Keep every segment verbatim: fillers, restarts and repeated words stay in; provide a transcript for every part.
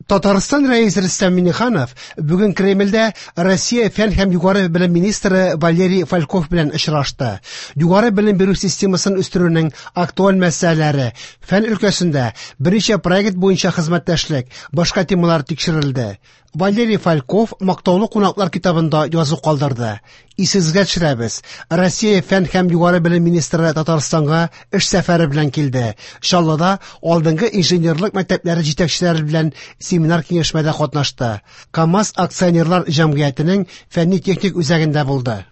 Татарстан Рәисе Рөстәм Миңнеханов бүген Кремльдә Россия фән һәм югары белем министры Валерий Фальков белән очрашты. Югары белем бирү системасын үстерүнең актуаль мәсьәләләре, фән өлкәсендә берничә проект буенча хезмәттәшлек, башка темалар тикшерелде. Валерий Фальков мактаулы кунаклар китабында язу калдырды. Исегезгә төшерәбез, Россия фән һәм югары белем министры Татарстанга эш сәфәре белән килде. Чаллыда алдынгы инженерлык мәктәпләре җитәкчеләре белән семинар киңәшмәдә катнашты. КАМАЗ акционерлар җәмгыятенең фәнни-техник үзәгендә булды.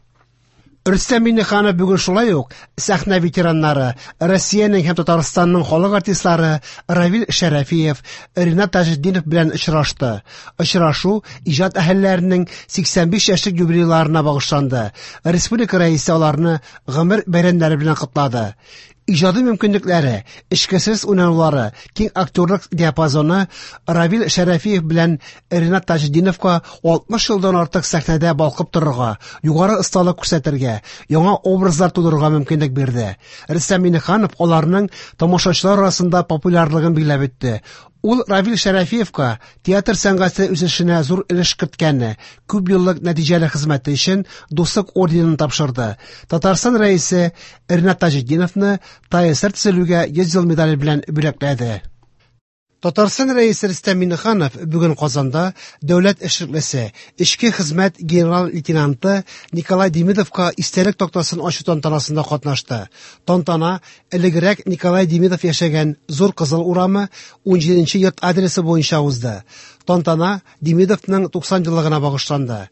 Рөстәм Миңнеханов бүген шулай ук сәхнә ветераннары, Россиянең һәм Татарстанның халык артистлары Равил Шәрәфиев, Ринат Таҗетдинов белән очрашты. Очрашу иҗат әһелләренең сиксән биш яшьлек юбилейларына багышланды. Республика рәисе аларны гомер бәйрәмнәре белән котлады. Иҗади мөмкинлекләре, эчкерсез уйнаулары, киң актерлык диапазоны Равил Шәрәфиев белән Ринат Таҗетдиновка алтмыш елдан артык сәхнәдә балкып торырга, югары осталык күрсәтергә, яңа образлар тудырырга мөмкинлек бирде. Рөстәм Миңнеханов аларның тамашачылар арасында популярлыгын билгеләп үтте. Ул Равил Шәрәфиевка театр сәнгате үсешенә зур өлеш керткәне, күп еллык нәтиҗәле хезмәте өчен Дуслык орденын тапшырды. Татарстан рәисе Ринат Таҗетдиновны ТАССР төзелүгә йөз ел медале белән бүләкләде. Татарстан рәисе Рөстәм Миңнеханов бүген Казанда дәүләт эшлеклесе, эчке хезмәт генерал-лейтенанты Николай Демидовка истәлек тактасын ачу тантанасында катнашты. Тантана элегрәк Николай Демидов яшәгән Зур Кызыл урамы унҗиденче йорт адресы буенча узды. Тантана Демидовның туксан еллыгына багышланды.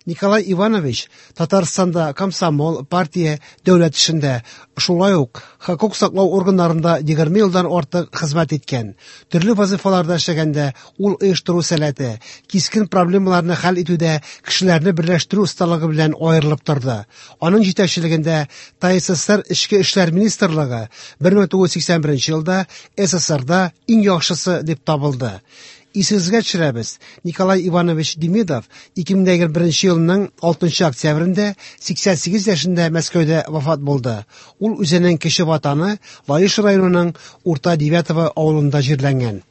Николай Иванович Татарстанда комсомол, партия, дәүләт эшендә, шулай ук хокук саклау органнарында егерме елдан артык хезмәт иткән. Төрле вазифаларда эшләгәндә ул оештыру сәләте, кискен проблемаларны хәл итүдә кешеләрне берләштерү осталыгы белән аерылып торды. Аның җитәкчелегендә ТАССР Эчке эшләр министрлыгы бер мең тугыз йөз сиксән беренче елда СССРда иң яхшысы дип табылды. Исегезгә төшерәбез, Николай Иванович Демидов ике мең егерме беренче елның алтынчы октябрендә сиксән сигез яшендә Мәскәүдә вафат булды. Ул үзенең кече ватаны Лаеш районының Урта Девятово авылында җирләнгән.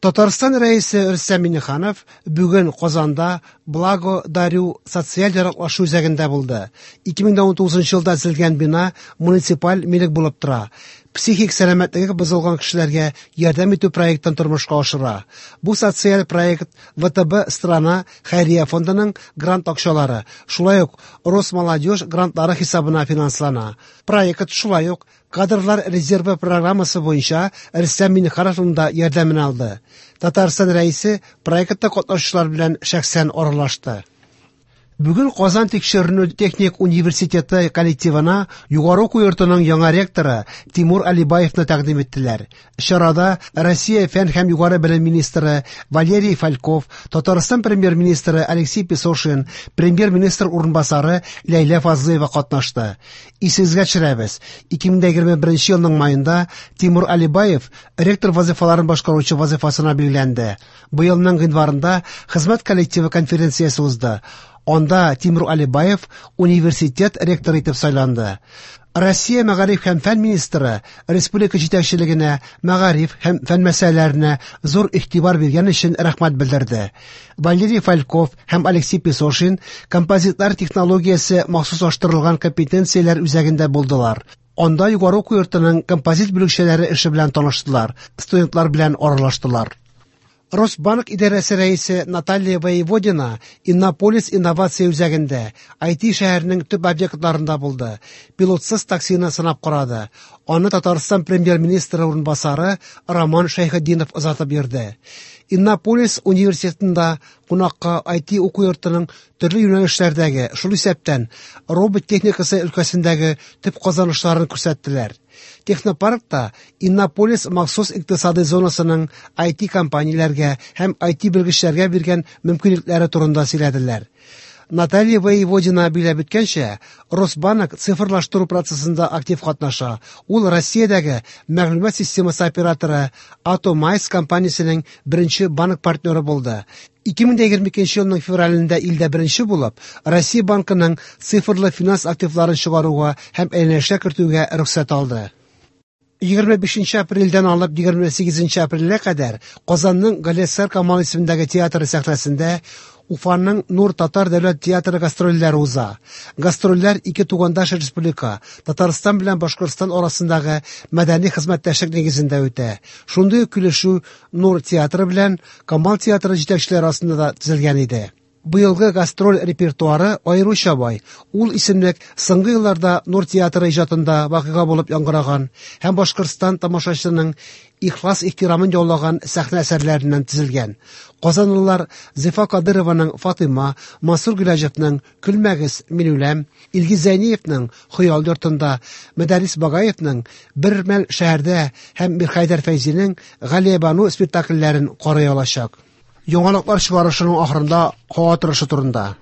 Татарстан рәисе Рөстәм Миңнеханов бүген Казанда Благо Дарю социаль яраклашу үзәгендә булды. Ике мең дә унтугызынчы елда төзелгән бина муниципаль милек булып тора. Психик сәламәтлеге бозылган кешеләргә ярдәм итү проектын тормышка ашыра. Бу социаль проект ВТБ Страна хәйрия фондының грант акчалары, шулай ук Росмолодежь грантлары хисабына финанслана. Проект шулай ук кадрлар резервы программасы буенча Рөстәм Миңнехановның да ярдәмен алды. Татарстан рәисе проектта катнашучылар белән шәхсән аралашты. Бүген Казан тикшеренү техник университеты коллективына югары уку йортының яңа ректоры Тимур Алибаевны тәкъдим иттеләр. Чарада Россия фән һәм югары белем министры Валерий Фальков, Татарстан премьер-министры Алексей Песошин, премьер-министр урынбасары Ләйлә Фазлыева катнашты. Исегезгә төшерәбез, ике мең егерме беренче елның майында Тимур Алибаев ректор вазифаларын башкаручы вазифасына билгеләнде. Быелның гыйнварында хезмәт коллективы конференциясе узды. Анда Тимур Алибаев университет ректоры итеп сайланды. Россия мәгариф һәм фән министры республика җитәкчелегенә мәгариф һәм фән мәсьәләләренә зур игътибар биргән өчен рәхмәт белдерде. Валерий Фальков һәм Алексей Песошин композитлар технологиясе махсуслаштырылган компетенцияләр үзәгендә булдылар. Анда югары уку йортының композит бүлекчәләре эше белән таныштылар, студентлар белән аралаштылар. Росбанк идарәсе рәисе Наталья Воеводина Иннополис инновация үзәгендә ай ти шәһәренең төп объектларында булды. Пилотсыз таксины сынап карады. Аны Татарстан премьер-министры урынбасары Роман Шәйхетдинов озатып йөрде. Иннополис университетында кунакка ай ти уку йортының төрле юнәлешләрдәге, шул исәптән робот техникасы өлкәсендәге төп казанышларын күрсәттеләр. Технопаркта Иннополис махсус икътисади зонасының ай ти компанияләргә һәм ай ти белгечләргә биргән мөмкинлекләре турында сөйләделәр. Наталья Воеводина биләп үткәнчә, Росбанк цифрлаштыру процессында актив катнаша. Ул Россиядәге мәгълүмат системасы операторы Atomyze компаниясенең беренче банк партнеры булды. Ике мең егерме икенче елның февралендә илдә беренче булып, Россия банкының цифрлы финанс активларын чыгаруга һәм әйләнешкә кертүгә рөхсәт алды. Егерме бишенче апрельдән алып егерме сигезенче апрельгә кадәр Казанның Галиәсгар Камал исемендәге театры сәхнәсендә Уфаның Нур татар дәүләт театры гастрольләре уза. Гастрольләр ике тугандаш республика, Татарстан белән Башкортстан арасындагы мәдәни хезмәттәшлек нигезендә үтә. Шундый ук килешү Нур театры белән Камал театры җитәкчеләре арасында да төзелгән иде. Быелгы гастроль репертуары аеруча бай. Ул исемлек соңгы елларда Нур театры иҗатында вакыйга булып яңгыраган һәм Башкортстан тамашачысының ихлас ихтирамын яулаган сәхнә әсәрләреннән төзелгән. Казанлылар Зифа Кадырованың Фатыйма, Мансур Гыйләҗевның Көлмәгез, мин үләм, Илгиз Зәйниевның Хыял йортында, Мөдәррис Багаевның Бер мәл шәһәрдә һәм Мирхәйдәр Фәйзинең Галиябану спектакльләрен карый алачак. Яңалыклар чыгарышының ахырында һава торышы турында.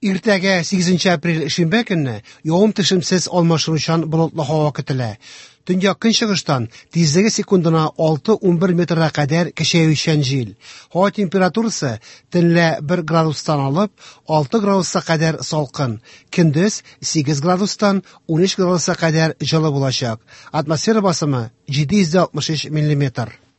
Иртәгә сигезенче апрель шимбә көнне явым-төшемсез алмашынучан болытлы һава көтелә. Төньяк көнчыгыштан тизлеге секундына алты-унбер метрга кадәр көчәючән җил. Һава температурасы төнлә бер градустан алып алты градуска кадәр салкын, көндез сигез градустан унөч градуска кадәр җылы булачак. Атмосфера басымы җиде йөз алтмыш өч миллиметр.